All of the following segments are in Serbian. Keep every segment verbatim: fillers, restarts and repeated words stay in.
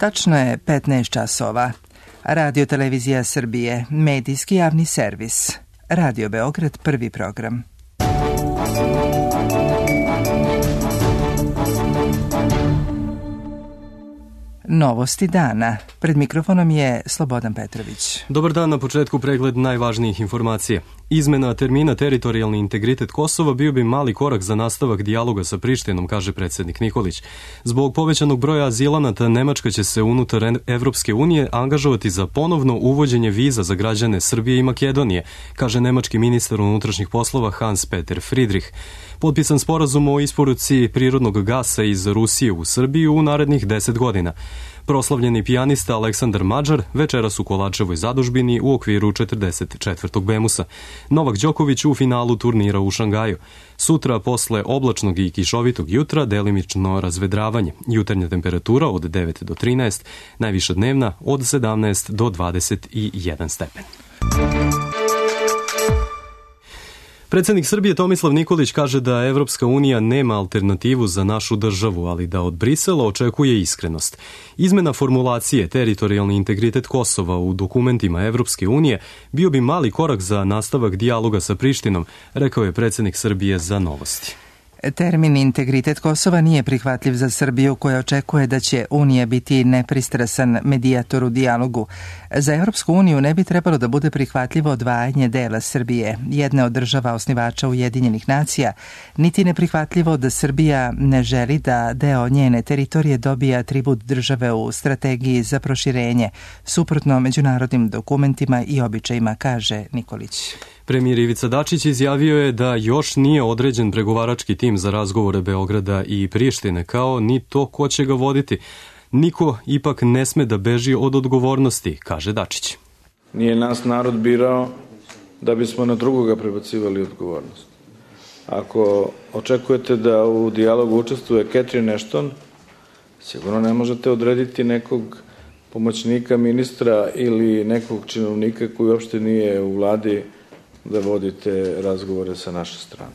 Tačno je petnaest časova. Radio Televizija Srbije, medijski javni servis. Radio Beograd, prvi program. Novosti dana. Pred mikrofonom je Slobodan Petrović. Dobar dan, na početku pregled najvažnijih informacija. Izmena termina teritorijalni integritet Kosova bio bi mali korak za nastavak dijaloga sa Prištinom, kaže predsjednik Nikolić. Zbog povećanog broja azilanata, Nemačka će se unutar Evropske unije angažovati za ponovno uvođenje viza za građane Srbije i Makedonije, kaže nemački ministar unutrašnjih poslova Hans-Peter Friedrich. Potpisan sporazum o isporuci prirodnog gasa iz Rusije u Srbiju u narednih deset godina. Proslavljeni pijanista Aleksandar Mađar večeras u Kolačevoj zadužbini u okviru četrdeset četvrtog Bemusa. Novak Đoković u finalu turnira u Šangaju. Sutra posle oblačnog i kišovitog jutra delimično razvedravanje. Jutarnja temperatura od devet do trinaest, najviša dnevna od sedamnaest do dvadeset jedan stepen. Predsjednik Srbije Tomislav Nikolić kaže da Evropska unija nema alternativu za našu državu, ali da od Brisela očekuje iskrenost. Izmena formulacije teritorijalni integritet Kosova u dokumentima Evropske unije bio bi mali korak za nastavak dijaloga sa Prištinom, rekao je predsjednik Srbije za Novosti. Termin integritet Kosova nije prihvatljiv za Srbiju, koja očekuje da će Unija biti nepristrasan medijator u dijalogu. Za Evropsku uniju ne bi trebalo da bude prihvatljivo odvajanje dela Srbije, jedne od država osnivača Ujedinjenih nacija, niti neprihvatljivo da Srbija ne želi da deo njene teritorije dobije atribut države u strategiji za proširenje, suprotno međunarodnim dokumentima i običajima, kaže Nikolić. Premijer Ivica Dačić izjavio je da još nije određen pregovarački tim za razgovore Beograda i Prištine, kao ni to ko će ga voditi. Niko ipak ne sme da beži od odgovornosti, kaže Dačić. Nije nas narod birao da bismo na drugoga prebacivali odgovornost. Ako očekujete da u dijalogu učestvuje Catherine Ashton, sigurno ne možete odrediti nekog pomoćnika ministra ili nekog činovnika koji uopšte nije u vladi da vodite razgovore sa naše strane.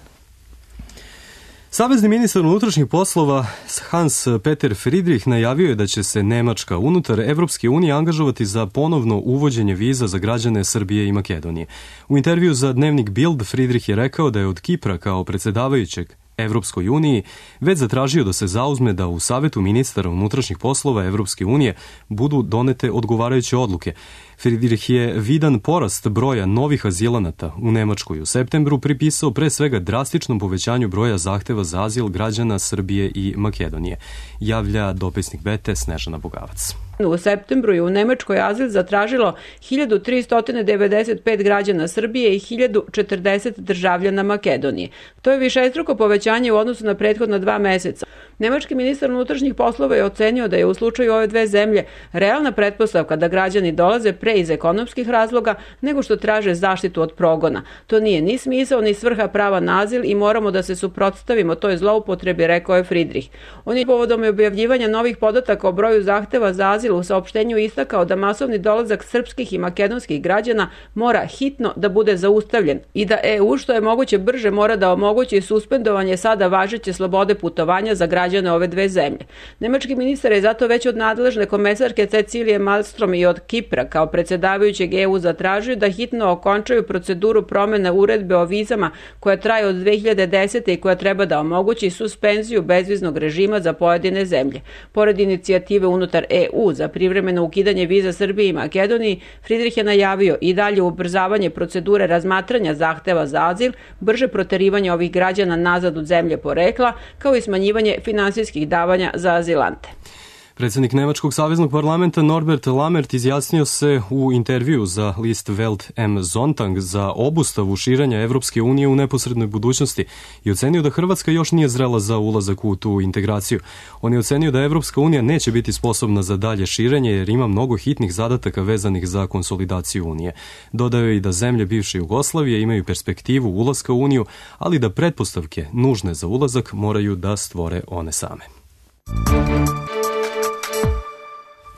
Savezni ministar unutrašnjih poslova Hans-Peter Friedrich najavio je da će se Nemačka unutar Evropske unije angažovati za ponovno uvođenje viza za građane Srbije i Makedonije. U intervju za dnevnik Bild Friedrich je rekao da je od Kipra kao predsjedavajućeg Evropskoj uniji već zatražio da se zauzme da u Savetu ministara unutrašnjih poslova Evropske unije budu donete odgovarajuće odluke. Friedrich je vidan porast broja novih azilanata u Nemačkoj u septembru pripisao pre svega drastičnom povećanju broja zahteva za azil građana Srbije i Makedonije, javlja dopisnik Bete Snežana Bogavac. U septembru je u Nemačkoj azil zatražilo hiljadu tristo devedeset pet građana Srbije i hiljadu četrdeset državljana Makedonije. To je višestruko povećanje u odnosu na prethodna dva meseca. Nemački ministar unutrašnjih poslova je ocenio da je u slučaju ove dve zemlje realna pretpostavka da građani dolaze pre iz ekonomskih razloga nego što traže zaštitu od progona. To nije ni smisao ni svrha prava na azil i moramo da se suprotstavimo toj zloupotrebi, rekao je Friedrich. On je povodom objavljivanja novih podataka o broju zahteva za azil u saopštenju istakao da masovni dolazak srpskih i makedonskih građana mora hitno da bude zaustavljen i da E U što je moguće brže mora da omogući suspendovanje sada važeće slobode putovanja za građane ove dve zemlje. Nemački ministar je zato već od nadležne komesarke Cecilije Malmstrom i od Kipra kao predsjedavajućeg E U zatražio da hitno okončaju proceduru promjene uredbe o vizama koja traje od dve hiljade desete. i koja treba da omogući suspenziju bezviznog režima za pojedine zemlje. Pored inicijative unutar E U za privremeno ukidanje viza Srbiji i Makedoniji, Friedrich je najavio i dalje ubrzavanje procedure razmatranja zahteva za azil, brže proterivanje ovih građana nazad u zemlje porekla, kao i smanjivanje finansijskih davanja za azilante. Predsjednik Nemačkog saveznog parlamenta Norbert Lammert izjasnio se u intervju za list Welt am Sonntag za obustavu širenja Evropske unije u neposrednoj budućnosti i ocenio da Hrvatska još nije zrela za ulazak u tu integraciju. On je ocenio da Evropska unija neće biti sposobna za dalje širenje jer ima mnogo hitnih zadataka vezanih za konsolidaciju unije. Dodao je i da zemlje bivše Jugoslavije imaju perspektivu ulaska u uniju, ali da pretpostavke nužne za ulazak moraju da stvore one same.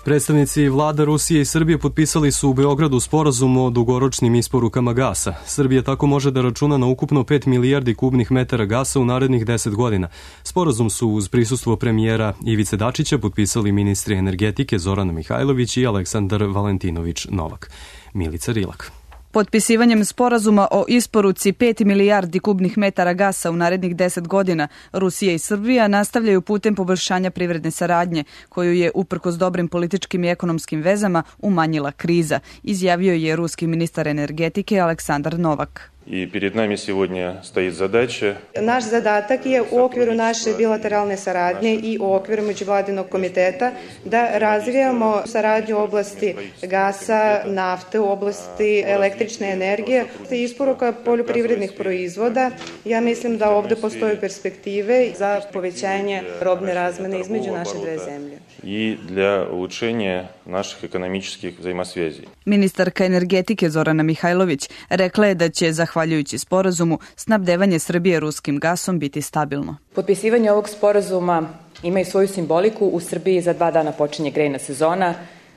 Predstavnici vlada Rusije i Srbije potpisali su u Beogradu sporazum o dugoročnim isporukama gasa. Srbija tako može da računa na ukupno pet milijardi kubnih metara gasa u narednih deset godina. Sporazum su uz prisustvo premijera Ivice Dačića potpisali ministri energetike Zorana Mihajlović i Aleksandar Valentinović Novak. Milica Rilak. Potpisivanjem sporazuma o isporuci pet milijardi kubnih metara gasa u narednih deset godina, Rusija i Srbija nastavljaju putem poboljšanja privredne saradnje, koju je, uprkos dobrim političkim i ekonomskim vezama, umanjila kriza, izjavio je ruski ministar energetike Aleksandar Novak. I перед нами сегодня стоит задача. Naš zadatak je u okviru naše bilateralne saradnje i u okviru međuvladinog komiteta da razvijamo saradnju u oblasti gasa, nafte, u oblasti električne energije i isporuka poljoprivrednih proizvoda. Ja mislim da ovde postoje perspektive za povećanje robne razmene između naše dve zemlje. I для улучшения naših ekonomičkih взаимосвязей. Ministarka energetike Zorana Mihajlović rekla je da će, zahvaljujući sporazumu, snabdevanje Srbije ruskim gasom biti stabilno. Potpisivanje ovog sporazuma ima i svoju simboliku. U Srbiji za dva dana počinje grejna sezona.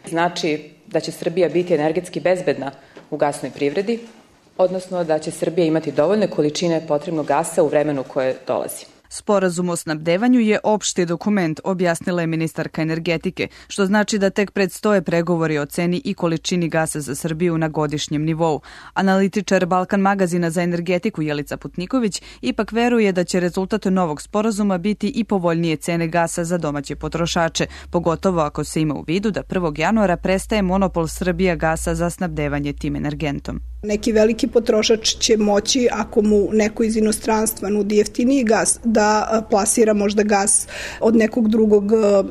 Znači da će Srbija biti energetski bezbedna u gasnoj privredi, odnosno da će Srbija imati dovoljne količine potrebnog gasa u vremenu koje dolazi. Sporazum o snabdevanju je opšti dokument, objasnila je ministarka energetike, što znači da tek predstoje pregovori o ceni i količini gasa za Srbiju na godišnjem nivou. Analitičar Balkan magazina za energetiku Jelica Putniković ipak veruje da će rezultat novog sporazuma biti i povoljnije cene gasa za domaće potrošače, pogotovo ako se ima u vidu da prvog januara prestaje monopol Srbija gasa za snabdevanje tim energentom. Neki veliki potrošač će moći, ako mu neko iz inostranstva nudi jeftiniji gas, da plasira možda gas od nekog drugog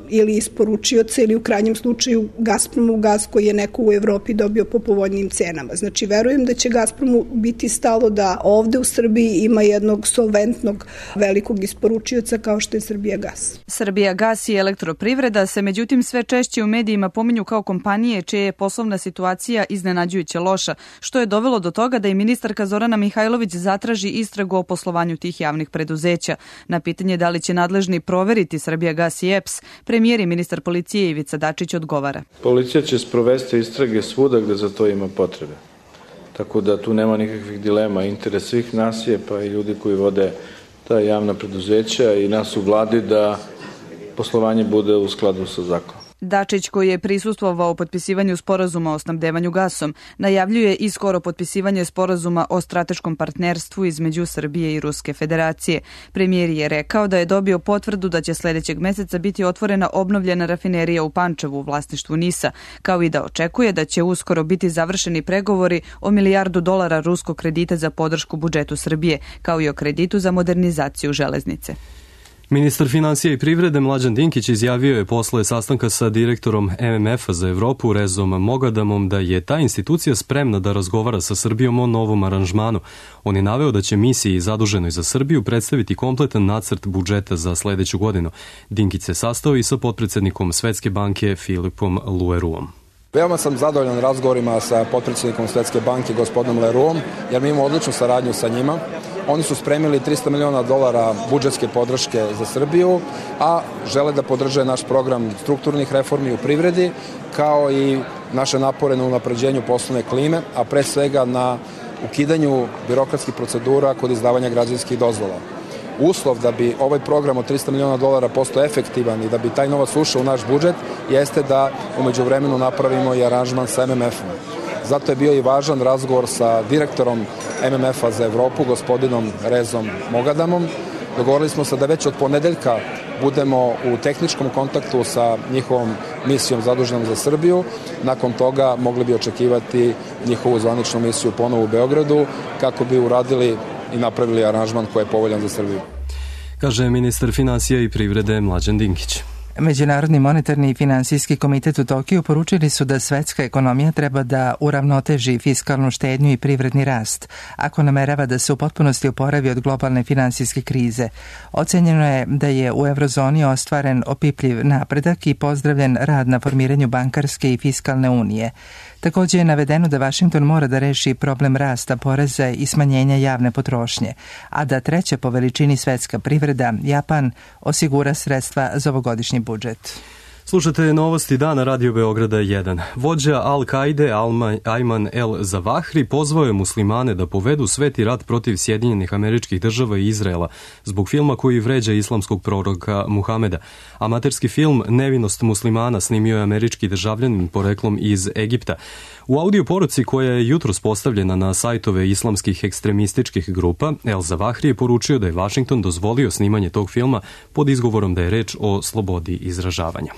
ili isporučioca ili u krajnjem slučaju Gazpromu gas koji je neko u Evropi dobio po povoljnim cenama. Znači, verujem da će Gazpromu biti stalo da ovde u Srbiji ima jednog solventnog velikog isporučioca kao što je Srbija gas. Srbija gas i elektroprivreda se međutim sve češće u medijima pominju kao kompanije čija je poslovna situacija iznenađujuće loša, što je dovelo do toga da i ministarka Zorana Mihajlović zatraži istragu o poslovanju tih javnih preduzeća. Na pitanje da li će nadležni proveriti Srbija gas i E P S, premijer i ministar policije Ivica Dačić odgovara. Policija će sprovesti istrage svuda gde za to ima potrebe. Tako da tu nema nikakvih dilema. Interes svih nas je, pa i ljudi koji vode ta javna preduzeća i nas u vladi, da poslovanje bude u skladu sa zakonom. Dačić, koji je prisustvovao potpisivanju sporazuma o snabdevanju gasom, najavljuje i skoro potpisivanje sporazuma o strateškom partnerstvu između Srbije i Ruske federacije. Premijer je rekao da je dobio potvrdu da će sledećeg meseca biti otvorena obnovljena rafinerija u Pančevu u vlasništvu NIS-a, kao i da očekuje da će uskoro biti završeni pregovori o milijardu dolara ruskog kredita za podršku budžetu Srbije, kao i o kreditu za modernizaciju železnice. Ministar finansija i privrede Mlađan Dinkić izjavio je posle sastanka sa direktorom M M F-a za Evropu Rezom Mogadamom da je ta institucija spremna da razgovara sa Srbijom o novom aranžmanu. On je naveo da će misiji zaduženoj za Srbiju predstaviti kompletan nacrt budžeta za sledeću godinu. Dinkić se sastao i sa potpredsednikom Svetske banke Filipom Leroyom. Veoma sam zadovoljan razgovorima sa potpredsjednikom Svetske banke gospodinom Leroyom, jer mi imamo odličnu saradnju sa njima. Oni su spremili trista miliona dolara budžetske podrške za Srbiju, a žele da podrže naš program strukturnih reformi u privredi, kao i naše napore na unapređenju poslovne klime, a pre svega na ukidanju birokratskih procedura kod izdavanja građevinskih dozvola. Uslov da bi ovaj program od trista miliona dolara postao efektivan i da bi taj novac ušao u naš budžet jeste da umeđu vremenu napravimo i aranžman sa M M F-om. Zato je bio i važan razgovor sa direktorom M M F-a za Evropu, gospodinom Rezom Mogadamom. Dogovorili smo se da već od ponedeljka budemo u tehničkom kontaktu sa njihovom misijom zaduženom za Srbiju. Nakon toga mogli bi očekivati njihovu zvaničnu misiju ponovo u Beogradu kako bi uradili i napravili aranžman koji je povoljan za Srbiju. Kaže ministar finansija i privrede Mlađan Dinkić. Međunarodni monetarni i finansijski komitet u Tokiju poručili su da svetska ekonomija treba da uravnoteži fiskalnu štednju i privredni rast, ako namerava da se u potpunosti oporavi od globalne finansijske krize. Ocenjeno je da je u eurozoni ostvaren opipljiv napredak i pozdravljen rad na formiranju bankarske i fiskalne unije. Također je navedeno da Vašington mora da reši problem rasta poreza i smanjenja javne potrošnje, a da treća po veličini svetska privreda, Japan, osigura sredstva za ovogodišnji budžet. Slušate novosti dana Radio Beograda jedan. Vođa Al-Kaide Ayman el-Zawahri pozvao je muslimane da povedu sveti rat protiv Sjedinjenih Američkih Država i Izraela zbog filma koji vređa islamskog proroka Muhameda. Amaterski film Nevinost muslimana snimio je američki državljanin poreklom iz Egipta. U audio poruci koja je jutros postavljena na sajtove islamskih ekstremističkih grupa, el-Zawahri je poručio da je Washington dozvolio snimanje tog filma pod izgovorom da je reč o slobodi izražavanja.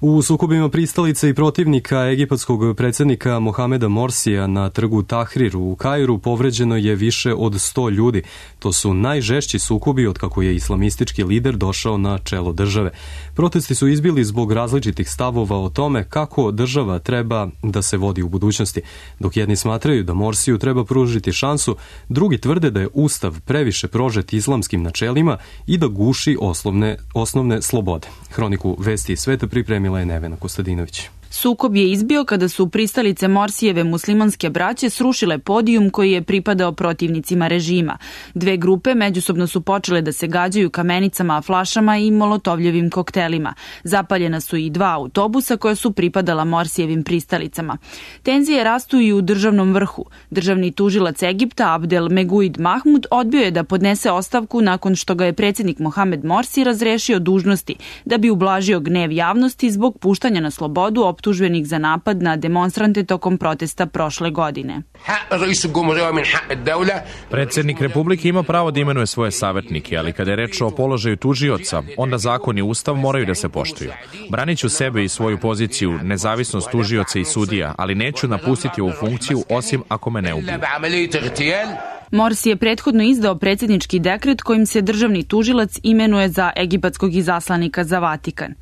U sukobima pristalica i protivnika egipatskog predsjednika Mohameda Morsija na trgu Tahrir u Kairu povređeno je više od sto ljudi. To su najžešći sukobi od kako je islamistički lider došao na čelo države. Protesti su izbili zbog različitih stavova o tome kako država treba da se vodi u budućnosti. Dok jedni smatraju da Morsiju treba pružiti šansu, drugi tvrde da je ustav previše prožet islamskim načelima i da guši osnovne, osnovne slobode. Hroniku Vesti iz sveta pripremila je Nevena Kostadinović. Sukob je izbio kada su pristalice Morsijeve muslimanske braće srušile podijum koji je pripadao protivnicima režima. Dve grupe međusobno su počele da se gađaju kamenicama, flašama i molotovljevim koktelima. Zapaljena su i dva autobusa koja su pripadala Morsijevim pristalicama. Tenzije rastu i u državnom vrhu. Državni tužilac Egipta Abdel Meguid Mahmud odbio je da podnese ostavku nakon što ga je predsjednik Mohamed Morsi razrešio dužnosti da bi ublažio gnev javnosti zbog puštanja na slobodu optuženih za napad na demonstrante tokom protesta prošle godine. Predsjednik Republike ima pravo da imenuje svoje savjetnike, ali kada je reč o položaju tužioca, onda zakon i ustav moraju da se poštuju. Branit ću sebe i svoju poziciju, nezavisnost tužioca i sudija, ali neću napustiti ovu funkciju osim ako me ne ubiju. Morsi je prethodno izdao predsjednički dekret kojim se državni tužilac imenuje za egipatskog izaslanika za Vatikan.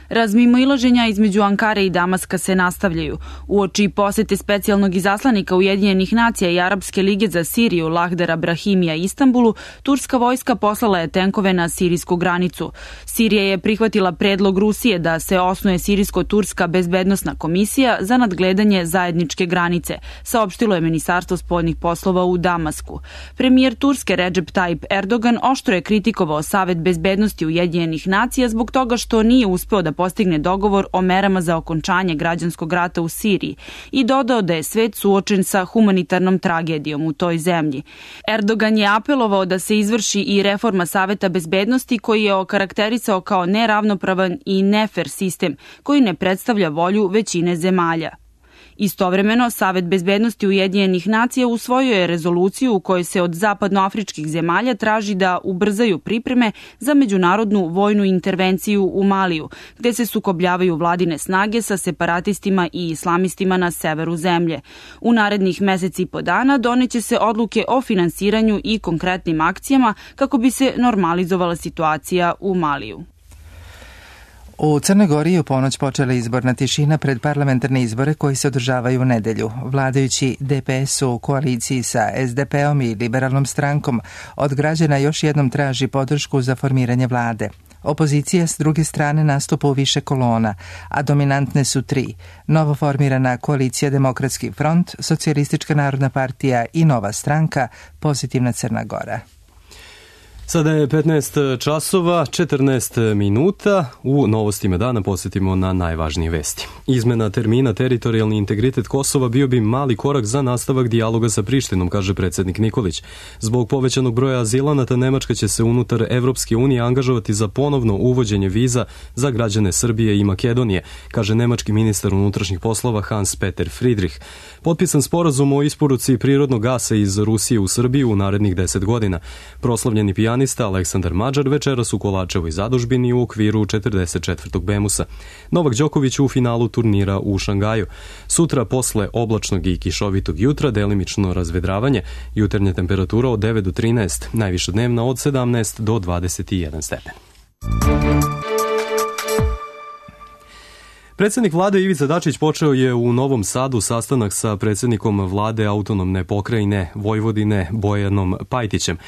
Razmimoilaženja između Ankare i Damaska se nastavljaju. Uoči posete specijalnog izaslanika Ujedinjenih nacija i Arapske lige za Siriju Lahdara Brahimija Istanbulu, turska vojska poslala je tenkove na sirijsku granicu. Sirija je prihvatila predlog Rusije da se osnuje Sirijsko-turska bezbednosna komisija za nadgledanje zajedničke granice, saopštilo je Ministarstvo spoljnih poslova u Damasku. Premijer Turske Recep Tayyip Erdogan oštro je kritikovao Savet bezbednosti Ujedinjenih nacija zbog toga što nije uspeo da postigne dogovor o merama za okončanje građanskog rata u Siriji i dodao da je svet suočen sa humanitarnom tragedijom u toj zemlji. Erdogan je apelovao da se izvrši i reforma Saveta bezbednosti koji je okarakterisao kao neravnopravan i nefer sistem koji ne predstavlja volju većine zemalja. Istovremeno, Savet bezbednosti Ujedinjenih nacija usvojio je rezoluciju u kojoj se od zapadnoafričkih zemalja traži da ubrzaju pripreme za međunarodnu vojnu intervenciju u Maliju, gde se sukobljavaju vladine snage sa separatistima i islamistima na severu zemlje. U narednih meseci i po dana doneće se odluke o finansiranju i konkretnim akcijama kako bi se normalizovala situacija u Maliju. U Crnoj Gori je u ponoć počela izborna tišina pred parlamentarne izbore koji se održavaju u nedelju. Vladajući D P S u koaliciji sa S D P-om i liberalnom strankom od građana još jednom traži podršku za formiranje vlade. Opozicija s druge strane nastupa u više kolona, a dominantne su tri. Novo formirana koalicija Demokratski front, Socijalistička narodna partija i Nova stranka, Pozitivna Crna Gora. Sada je petnaest časova, četrnaest minuta. U novostima dana posjetimo na najvažnije vesti. Izmena termina teritorijalni integritet Kosova bio bi mali korak za nastavak dijaloga sa Prištinom, kaže predsjednik Nikolić. Zbog povećanog broja azilanata Nemačka će se unutar Evropske unije angažovati za ponovno uvođenje viza za građane Srbije i Makedonije, kaže nemački ministar unutrašnjih poslova Hans Peter Friedrich. Potpisan sporazum o isporuci prirodnog gasa iz Rusije u Srbiju u narednih deset godina. Proslavljeni pijanista Aleksandar Mađar večeras u Kolačevoj zadužbini u okviru četrdeset četvrtog Bemusa. Novak Đoković u finalu turnira u Šangaju. Sutra posle oblačnog i kišovitog jutra delimično razvedravanje, jutarnja temperatura od devet do trinaest, najviša dnevna od sedamnaest do dvadeset jedan stepen. Predsjednik vlade Ivica Dačić počeo je u Novom Sadu sastanak sa predsjednikom vlade autonomne pokrajine Vojvodine Bojanom Pajtićem.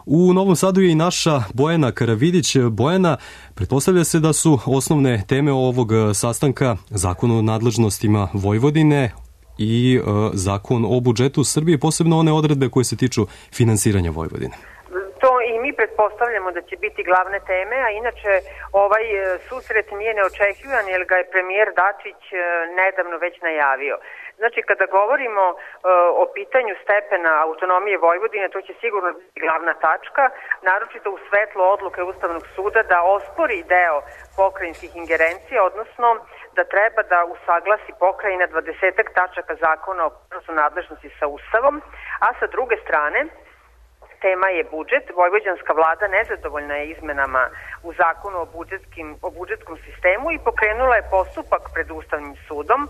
U Novom Sadu je i naša Bojana Karavidić. Bojana, pretpostavlja se da su osnovne teme ovog sastanka zakon o nadležnostima Vojvodine i e, zakon o budžetu Srbije, posebno one odredbe koje se tiču finansiranja Vojvodine. To i mi pretpostavljamo da će biti glavne teme, a inače ovaj susret nije neočekivan jer ga je premijer Dačić nedavno već najavio. Znači, kada govorimo uh, o pitanju stepena autonomije Vojvodine, to će sigurno biti glavna tačka, naročito u svetlu odluke Ustavnog suda da ospori deo pokrajinskih ingerencija, odnosno da treba da usaglasi pokrajina dvadesetak tačaka zakona o prenosu nadležnosti sa Ustavom, a sa druge strane, tema je budžet. Vojvođanska vlada nezadovoljna je izmenama u zakonu o, budžetskim, o budžetskom sistemu i pokrenula je postupak pred Ustavnim sudom.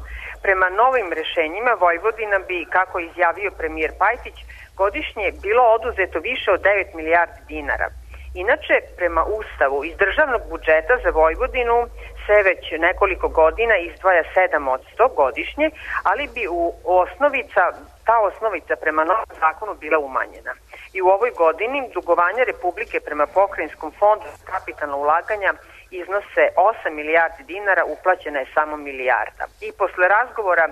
Prema novim rešenjima Vojvodina bi, kako je izjavio premijer Pajtić, godišnje bilo oduzeto više od devet milijardi dinara. Inače, prema Ustavu, iz državnog budžeta za Vojvodinu se već nekoliko godina izdvaja sedam posto godišnje, ali bi u osnovica, ta osnovica prema novom zakonu bila umanjena. I u ovoj godini dugovanja Republike prema Pokrajinskom fondu za kapitalna ulaganja iznose osam milijardi dinara, uplaćena je samo milijarda. I posle razgovora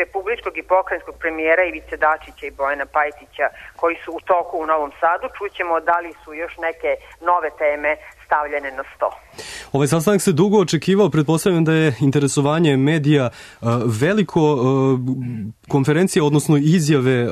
republičkog i pokrajinskog premijera Ivice Dačića i Bojana Pajtića, koji su u toku u Novom Sadu, čućemo da li su još neke nove teme stavljene na sto. Ovaj sastanak se dugo očekivao, pretpostavljam da je interesovanje medija veliko. Konferencije, odnosno izjave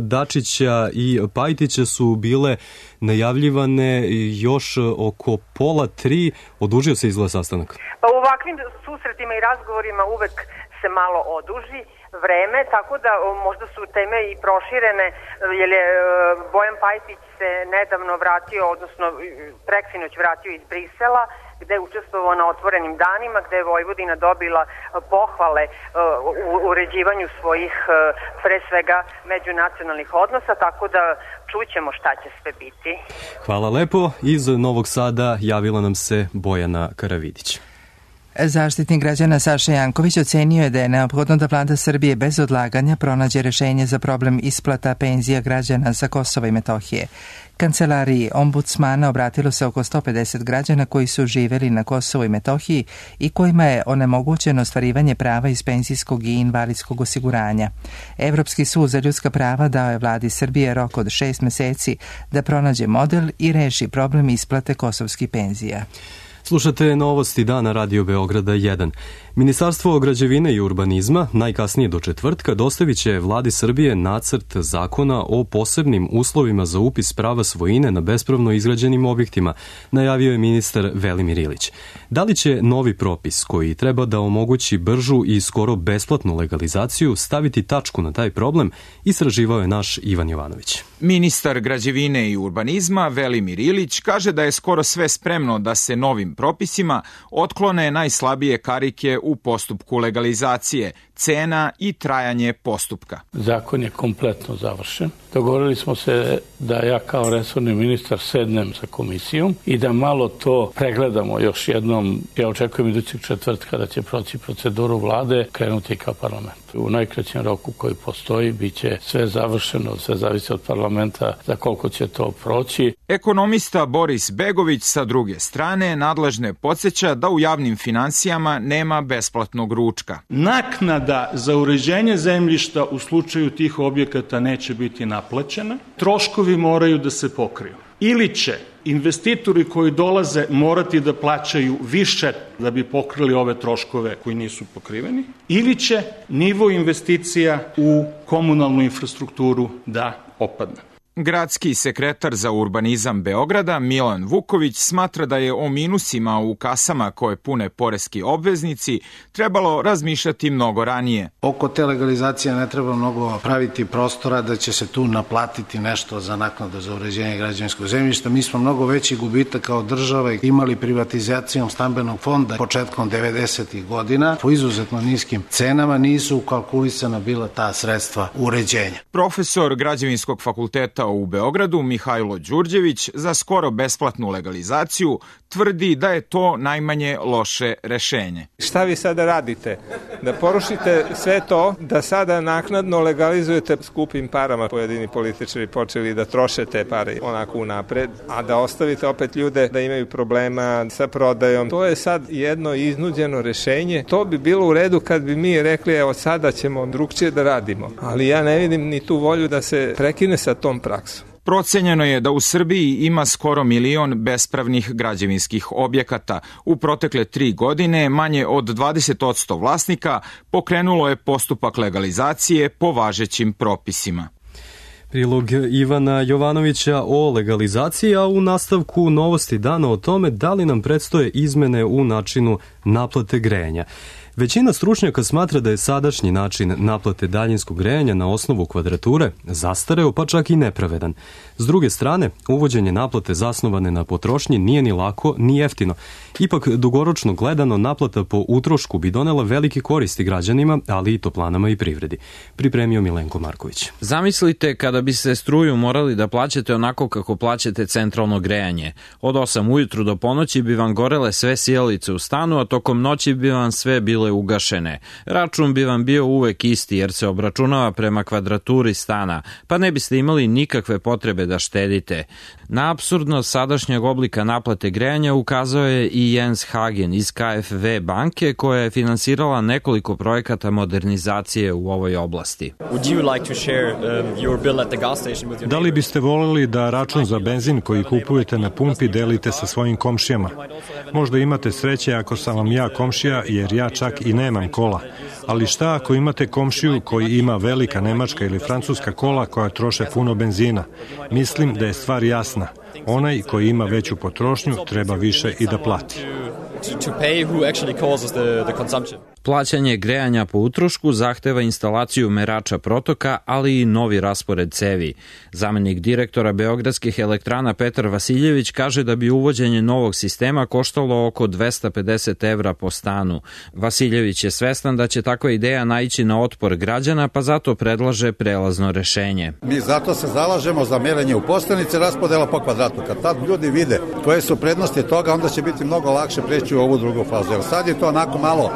Dačića i Pajtića su bile najavljivane još oko pola tri. Odužio se izgleda sastanak? Pa u ovakvim susretima i razgovorima uvek se malo oduži vreme, tako da možda su teme i proširene, jer je Bojan Pajtić se nedavno vratio, odnosno preksinoć vratio iz Brisela, gde je učestvovao na otvorenim danima, gde je Vojvodina dobila pohvale u uređivanju svojih, pre svega, međunacionalnih odnosa, tako da čućemo šta će sve biti. Hvala lepo. Iz Novog Sada javila nam se Bojana Karavidić. Zaštitnik građana Saša Janković ocenio je da je neophodno da vlada Srbije bez odlaganja pronađe rešenje za problem isplata penzija građana sa Kosova i Metohije. Kancelariji ombudsmana obratilo se oko sto pedeset građana koji su živeli na Kosovu i Metohiji i kojima je onemogućeno ostvarivanje prava iz penzijskog i invalidskog osiguranja. Evropski sud za ljudska prava dao je vladi Srbije rok od šest meseci da pronađe model i reši problem isplate kosovskih penzija. Slušate novosti dana Radio Beograda jedan. Ministarstvo građevine i urbanizma najkasnije do četvrtka dostavit će vladi Srbije nacrt zakona o posebnim uslovima za upis prava svojine na bespravno izgrađenim objektima, najavio je ministar Velimir Ilić. Da li će novi propis koji treba da omogući bržu i skoro besplatnu legalizaciju staviti tačku na taj problem, istraživao je naš Ivan Jovanović. Ministar građevine i urbanizma Velimir Ilić kaže da je skoro sve spremno da se novim propisima otklone najslabije karike u postupku legalizacije, cena i trajanje postupka. Zakon je kompletno završen. Dogovorili smo se da ja kao resorni ministar sednem sa komisijom i da malo to pregledamo još jednom. Ja očekujem idućeg četvrtka da će proći proceduru vlade, krenuti ka parlamentu. U najkraćem roku koji postoji biće sve završeno, sve zavisi od parlamenta za koliko će to proći. Ekonomista Boris Begović sa druge strane nadležne podsjeća da u javnim finansijama nema besplatnog ručka. Naknada za uređenje zemljišta u slučaju tih objekata neće biti naplaćena. Troškovi moraju da se pokriju. Ili će investitori koji dolaze morati da plaćaju više da bi pokrili ove troškove koji nisu pokriveni, ili će nivo investicija u komunalnu infrastrukturu da opadne. Gradski sekretar za urbanizam Beograda Milan Vuković smatra da je o minusima u kasama koje pune poreski obveznici trebalo razmišljati mnogo ranije. Oko te legalizacije ne treba mnogo praviti prostora da će se tu naplatiti nešto za naknadu za uređenje građevinskog zemljišta. Mi smo mnogo veći gubitak kao država imali privatizacijom stambenog fonda početkom devedesetih godina. Po izuzetno niskim cenama nisu ukalkulisana bila ta sredstva uređenja. Profesor Građevinskog fakulteta u Beogradu Mihajlo Đurđević za skoro besplatnu legalizaciju tvrdi da je to najmanje loše rešenje. Šta vi sada radite? Da porušite sve to, da sada naknadno legalizujete skupim parama. Pojedini političari počeli da troše te pare onako unapred, a da ostavite opet ljude da imaju problema sa prodajom. To je sad jedno iznuđeno rešenje. To bi bilo u redu kad bi mi rekli evo sada ćemo drugčije da radimo. Ali ja ne vidim ni tu volju da se prekine sa tom praksom. Procenjeno je da u Srbiji ima skoro milion bespravnih građevinskih objekata. U protekle tri godine manje od dvadeset posto vlasnika pokrenulo je postupak legalizacije po važećim propisima. Prilog Ivana Jovanovića o legalizaciji, a u nastavku novosti dana o tome da li nam predstoje izmene u načinu naplate grejanja. Većina stručnjaka smatra da je sadašnji način naplate daljinskog grejanja na osnovu kvadrature zastareo, pa čak i nepravedan. S druge strane, uvođenje naplate zasnovane na potrošnji nije ni lako ni jeftino. Ipak, dugoročno gledano, naplata po utrošku bi donela velike koristi građanima, ali i toplanama i privredi. Pripremio Milenko Marković. Zamislite kada bi se struju morali da plaćate onako kako plaćate centralno grejanje. Od osam ujutru do ponoći bi vam gorele sve sijalice u stanu, a tokom noći bi vam sve bile ugašene. Račun bi vam bio uvek isti jer se obračunava prema kvadraturi stana, pa ne biste imali nikakve potrebe da štedite. Na apsurdnost sadašnjeg oblika naplate grejanja ukazao je i Jens Hagen iz K F V banke, koja je finansirala nekoliko projekata modernizacije u ovoj oblasti. Da li biste voljeli da račun za benzin koji kupujete na pumpi delite sa svojim komšijama? Možda imate sreće ako sam vam ja komšija, jer ja čak i nemam kola. Ali šta ako imate komšiju koji ima velika nemačka ili francuska kola koja troše puno benzina? Mislim da je stvar jasna. Onaj koji ima veću potrošnju treba više i da plati. Plaćanje grejanja po utrošku zahteva instalaciju merača protoka, ali i novi raspored cevi. Zamenik direktora Beogradskih elektrana Petar Vasiljević kaže da bi uvođenje novog sistema koštalo oko dvesta pedeset evra po stanu. Vasiljević je svestan da će takva ideja naići na otpor građana, pa zato predlaže prelazno rešenje. Mi zato se zalažemo za merenje u postanici, raspodela po kvadratu. Kad tad ljudi vide koje su prednosti toga, onda će biti mnogo lakše preći u ovu drugu fazu. Jer sad je to onako malo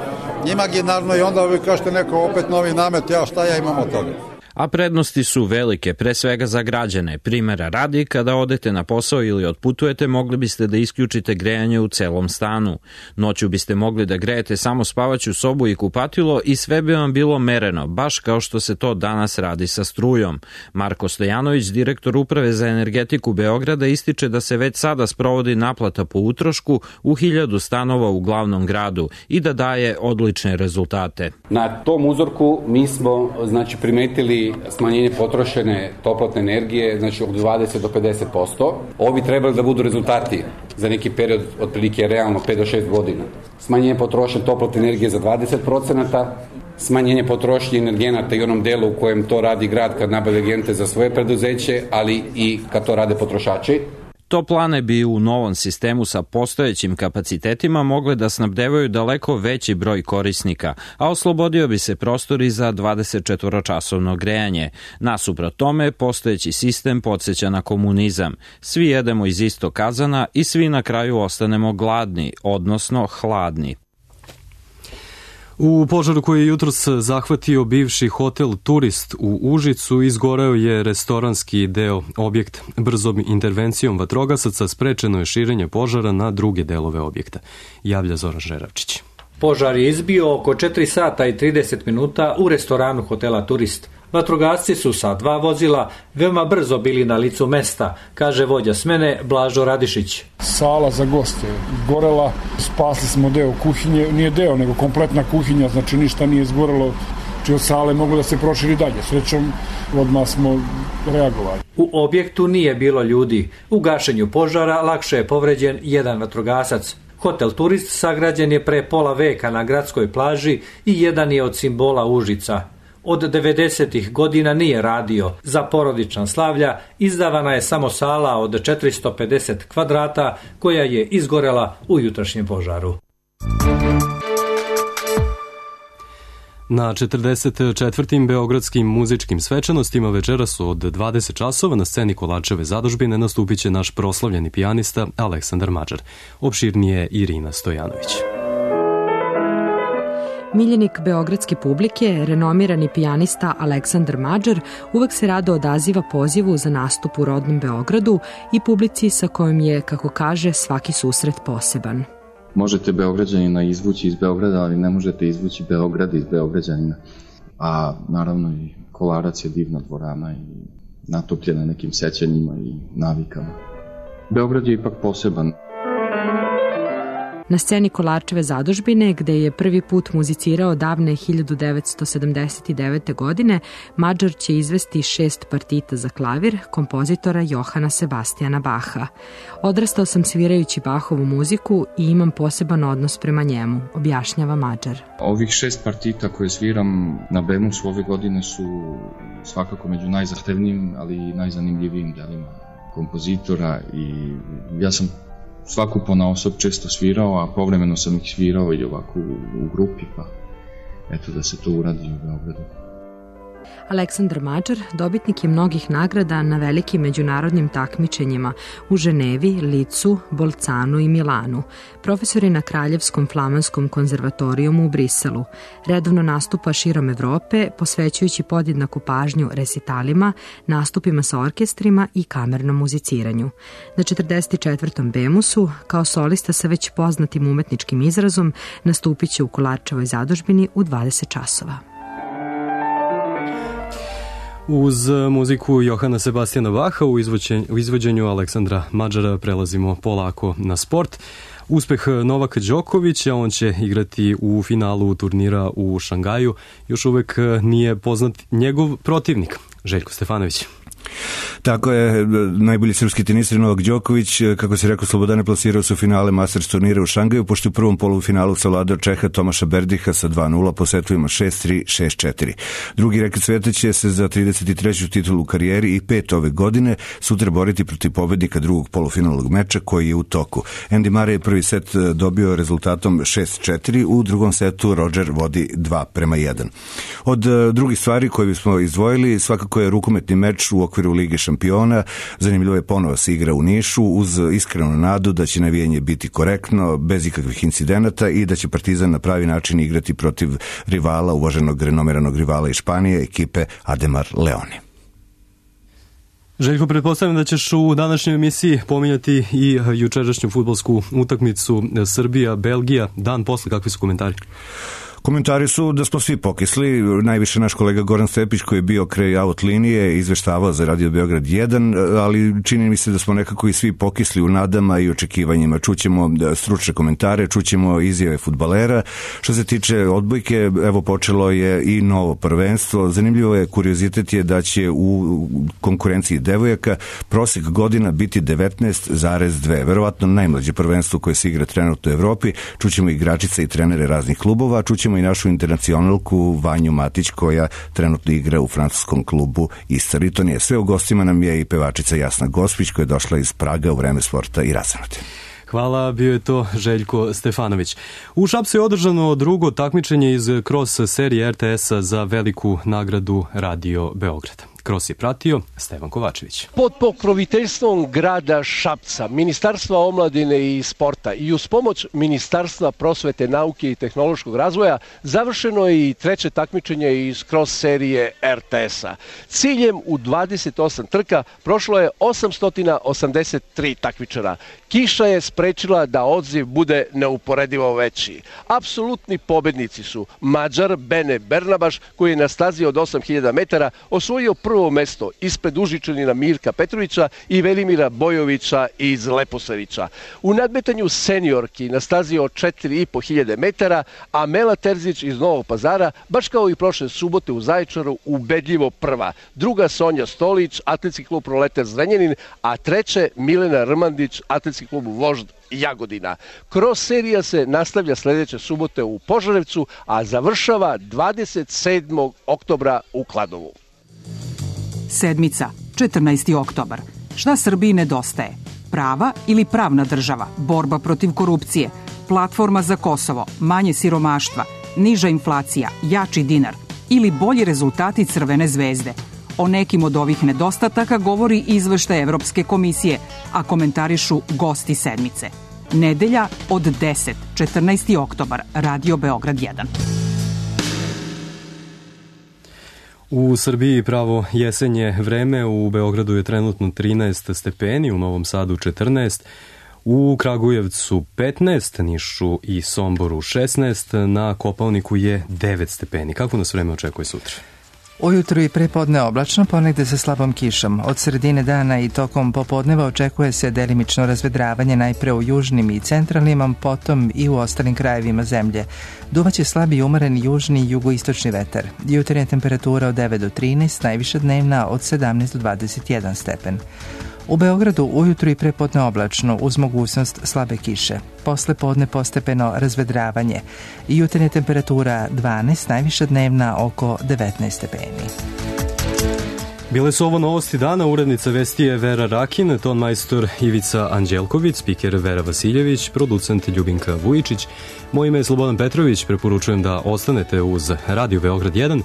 imaginarno i onda vi kažete neko opet novi namet, ja šta ja imam od toga. A prednosti su velike, pre svega za građane. Primera radi, kada odete na posao ili otputujete, mogli biste da isključite grejanje u celom stanu. Noću biste mogli da grejete samo spavaću sobu i kupatilo i sve bi vam bilo mereno, baš kao što se to danas radi sa strujom. Marko Stojanović, direktor Uprave za energetiku Beograda, ističe da se već sada sprovodi naplata po utrošku u hiljadu stanova u glavnom gradu i da daje odlične rezultate. Na tom uzorku mi smo znači primetili smanjenje potrošene toplotne energije, znači od dvadeset do pedeset posto. Ovo bi trebali da budu rezultati za neki period, otprilike realno pet do šest godina. Smanjenje potrošene toplotne energije za dvadeset procenata, smanjenje potrošnje energenata i onom delu u kojem to radi grad kad nabavlja energente za svoje preduzeće, ali i kad to rade potrošači. Toplane bi u novom sistemu sa postojećim kapacitetima mogle da snabdevaju daleko veći broj korisnika, a oslobodio bi se prostor i za dvadesetčetvoročasovno grejanje. Nasuprot tome, postojeći sistem podsjeća na komunizam. Svi jedemo iz istog kazana i svi na kraju ostanemo gladni, odnosno hladni. U požaru koji je jutros zahvatio bivši hotel Turist u Užicu izgoreo je restoranski deo objekta. Brzom intervencijom vatrogasaca sprečeno je širenje požara na druge delove objekta. Javlja Zoran Žeravčić. Požar je izbio oko četiri sata i trideset minuta u restoranu hotela Turist. Vatrogasci su sa dva vozila veoma brzo bili na licu mesta, kaže vođa smene Blažo Radišić. Sala za goste gorela, spasli smo deo kuhinje, nije deo nego kompletna kuhinja, znači ništa nije izgorelo, či od sale mogu da se proširi dalje. Srećom, odmah smo reagovali. U objektu nije bilo ljudi. U gašenju požara lakše je povređen jedan vatrogasac. Hotel Turist sagrađen je pre pola veka na gradskoj plaži i jedan je od simbola Užica. Od devedesetih godina nije radio. Za porodična slavlja izdavana je samo sala od četiristo pedeset kvadrata koja je izgorela u jutrašnjem požaru. Na četrdeset četvrtim beogradskim muzičkim svečanostima večera su od dvadeset časova na sceni Kolačeve zadužbine nastupit će naš proslavljeni pijanista Aleksandar Mađar. Opširnije Irina Stojanović. Miljenik beogradske publike, renomirani pijanista Aleksandar Mađar uvek se rado odaziva pozivu za nastup u rodnom Beogradu i publici sa kojom je, kako kaže, svaki susret poseban. Možete Beograđanina izvući iz Beograda, ali ne možete izvući Beograd iz Beograđanina. A naravno i Kolarac je divna dvorana i natopljena nekim sećanjima i navikama. Beograd je ipak poseban. Na sceni Kolarčeve zadužbine, gde je prvi put muzicirao davne hiljadu devetsto sedamdeset devete. godine, Madžar će izvesti šest partita za klavir kompozitora Johana Sebastijana Baha. Odrastao sam svirajući Bahovu muziku i imam poseban odnos prema njemu, objašnjava Madžar. Ovih šest partita koje sviram na Bemusu ove godine su svakako među najzahtevnijim, ali i najzanimljivijim delima kompozitora i ja sam svaku ponaosob često svirao, a povremeno sam ih svirao i ovako u, u grupi, pa eto da se to uradi u Beogradu. Aleksandar Madžar dobitnik je mnogih nagrada na velikim međunarodnim takmičenjima u Ženevi, Licu, Bolcanu i Milanu. Profesor je na Kraljevskom flamanskom konzervatorijumu u Briselu. Redovno nastupa širom Evrope, posvećujući podjednaku pažnju resitalima, nastupima sa orkestrima i kamernom muziciranju. Na četrdeset četvrtom Bemusu, kao solista sa već poznatim umetničkim izrazom, nastupit će u Kolarčevoj zadužbini u dvadeset časova. Uz muziku Johana Sebastijana Baha u, u izvođenju Aleksandra Madžara prelazimo polako na sport. Uspeh Novaka Đokovića, on će igrati u finalu turnira u Šangaju. Još uvek nije poznat njegov protivnik, Željko Stefanović. Tako je, najbolji srpski tenisir Novak Đoković, kako se rekao, Slobodane, plasirao su finale Masters turnira u Šangaju, pošto u prvom polufinalu savladao Čeha Tomaša Berdiha sa dva nula po setovima šest tri, šest četiri. Drugi reket sveta će se za trideset treću titulu u karijeri i pet ove godine sutra boriti protiv pobednika drugog polufinalnog meča koji je u toku. Andy Murray je prvi set dobio rezultatom šest četiri, u drugom setu Roger vodi dva prema jedan. Od drugih stvari koje bismo izdvojili, svakako je rukometni meč u okviru Lige šampiona. Zanimljivo je, ponovo se igra u Nišu uz iskrenu nadu da će navijanje biti korektno, bez ikakvih incidenata i da će Partizan na pravi način igrati protiv rivala, uvaženog renomiranog rivala iz Španije, ekipe Ademar Leoni. Željko, pretpostavljam da ćeš u današnjoj emisiji pominjati i jučerašnju fudbalsku utakmicu Srbija-Belgija. Dan posle, kakvi su komentari? Komentari su da smo svi pokisli, najviše naš kolega Goran Stepić koji je bio kraj out linije, izveštavao za Radio Beograd jedan, ali čini mi se da smo nekako i svi pokisli u nadama i očekivanjima. Čućemo stručne komentare, čućemo izjave fudbalera. Što se tiče odbojke, evo počelo je i novo prvenstvo. Zanimljivo je, kuriozitet je da će u konkurenciji devojaka prosek godina biti devetnaest zarez dva. Verovatno najmlađe prvenstvo koje se igra trenutno u Evropi. Čućemo igračice i trenere raznih klubova, čućemo i našu internacionalku Vanju Matić koja trenutno igra u francuskom klubu Istar. I to nije sve, u gostima nam je i pevačica Jasna Gospić koja je došla iz Praga u vreme sporta i razanuti. Hvala, bio je to Željko Stefanović. U Šapcu je održano drugo takmičenje iz Cross serije er te esa za veliku nagradu Radio Beograd. Kroz je pratio Stevan Kovačević. Pod pokroviteljstvom grada Šapca, Ministarstva omladine i sporta i uz pomoć Ministarstva prosvete, nauke i tehnološkog razvoja završeno je i treće takmičenje iz Cross serije er te esa. Ciljem u dvadeset osam trka prošlo je osamsto osamdeset tri takmičara. Kiša je sprečila da odziv bude neuporedivo veći. Apsolutni pobednici su Mađar Bene Bernabaš koji je na stazi od osam hiljada metara osvojio prvo mesto ispred Užičanina Mirka Petrovića i Velimira Bojovića iz Leposavića. U nadmetanju seniorki na stazi od četiri i po hiljade metara Amela Terzić iz Novog Pazara, baš kao i prošle subote u Zaječaru, ubedljivo prva. Druga Sonja Stolić, Atletski klub Proletar Zrenjanin, a treće Milena Rmandić, Atletski klub Vožd Jagodina. Cross serija se nastavlja sledeće subote u Požarevcu, a završava dvadeset sedmog oktobra u Kladovu. Sedmica, četrnaesti oktobar. Šta Srbiji nedostaje? Prava ili pravna država? Borba protiv korupcije? Platforma za Kosovo? Manje siromaštva? Niža inflacija? Jači dinar? Ili bolji rezultati Crvene zvezde? O nekim od ovih nedostataka govori izveštaj Evropske komisije, a komentarišu gosti sedmice. Nedelja od deset, četrnaesti oktobar, Radio Beograd jedan. U Srbiji pravo jesenje vreme, u Beogradu je trenutno trinaest stepeni, u Novom Sadu četrnaest, u Kragujevcu petnaest, Nišu i Somboru šesnaest, na Kopaoniku je devet stepeni. Kako nas vreme očekuje sutra? Ujutru i prepodne oblačno, ponegde sa slabom kišom. Od sredine dana i tokom popodneva očekuje se delimično razvedravanje najpre u južnim i centralnim, a potom i u ostalim krajevima zemlje. Duvaće slabi i umeren južni i jugoistočni vetar. Jutarnja temperatura od devet do trinaest, najviša dnevna od sedamnaest do dvadeset jedan stepen. U Beogradu ujutru i prepodne oblačno uz mogućnost slabe kiše. Posle podne postepeno razvedravanje. Jutarnja temperatura dvanaest, najviša dnevna oko devetnaest stepeni. Bile su ovo novosti dana, urednica vesti je Vera Rakin, tonmajstor Ivica Anđelković, spiker Vera Vasiljević, producent Ljubinka Vujičić. Moje ime je Slobodan Petrović, preporučujem da ostanete uz Radio Beograd jedan.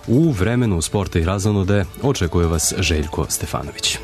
U vremenu sporta i razonode očekuje vas Željko Stefanović.